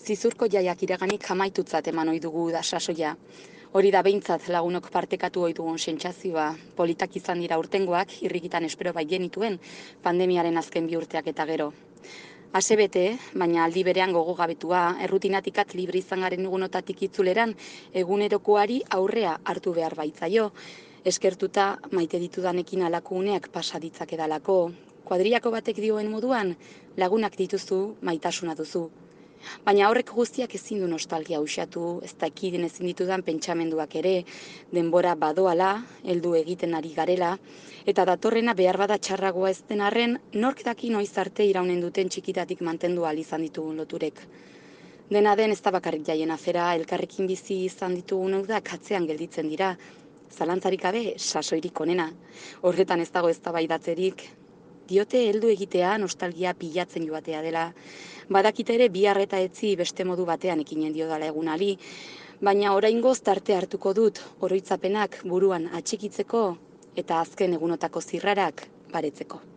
Zizurko jaiak iraganik amaitutzat eman ohi dugu da sasoia. Hori da behintzat lagunok partekatu ohi dugun sentsazioa. Politak izan dira urtengoak, irrikitan espero bai genituen, pandemiaren azken 2 urteak eta gero. Asebete, baina aldi berean gogogabetua, errutinatik libre izan garen egunotatik itzuleran, egunerokoari aurrea hartu behar baitzaio. Eskertuta maite ditudanekin halako uneak pasa ditzakedalako. Kuadriako batek dioen moduan, lagunak dituzu, maitasuna duzu. Baina horrek guztiak ezin du nostalgia uxatu, ez dakiten ezin ditudan pentsamenduak ere, denbora badoala, heldu egiten ari garela, eta datorrena behar bada txarragoa ez den arren, nork daki noiz arte iraunen duten txikitatik mantendu ahal izan ditugun loturek. Dena den ez da bakarrik jaien afera, elkarrekin bizi izan ditugun udak atzean gelditzen dira, zalantzarik gabe sasoirik onena. Horretan ez dago eztabaidatzerik. Diote heldu egitea nostalgia pilatzen joatea dela. Badakite ere bihar eta etzi beste modu batean ekinen diodala egunari, baina oraingoz tarte hartuko dut oroitzapenak buruan atxikitzeko eta azken egunotako zirrarak baretzeko.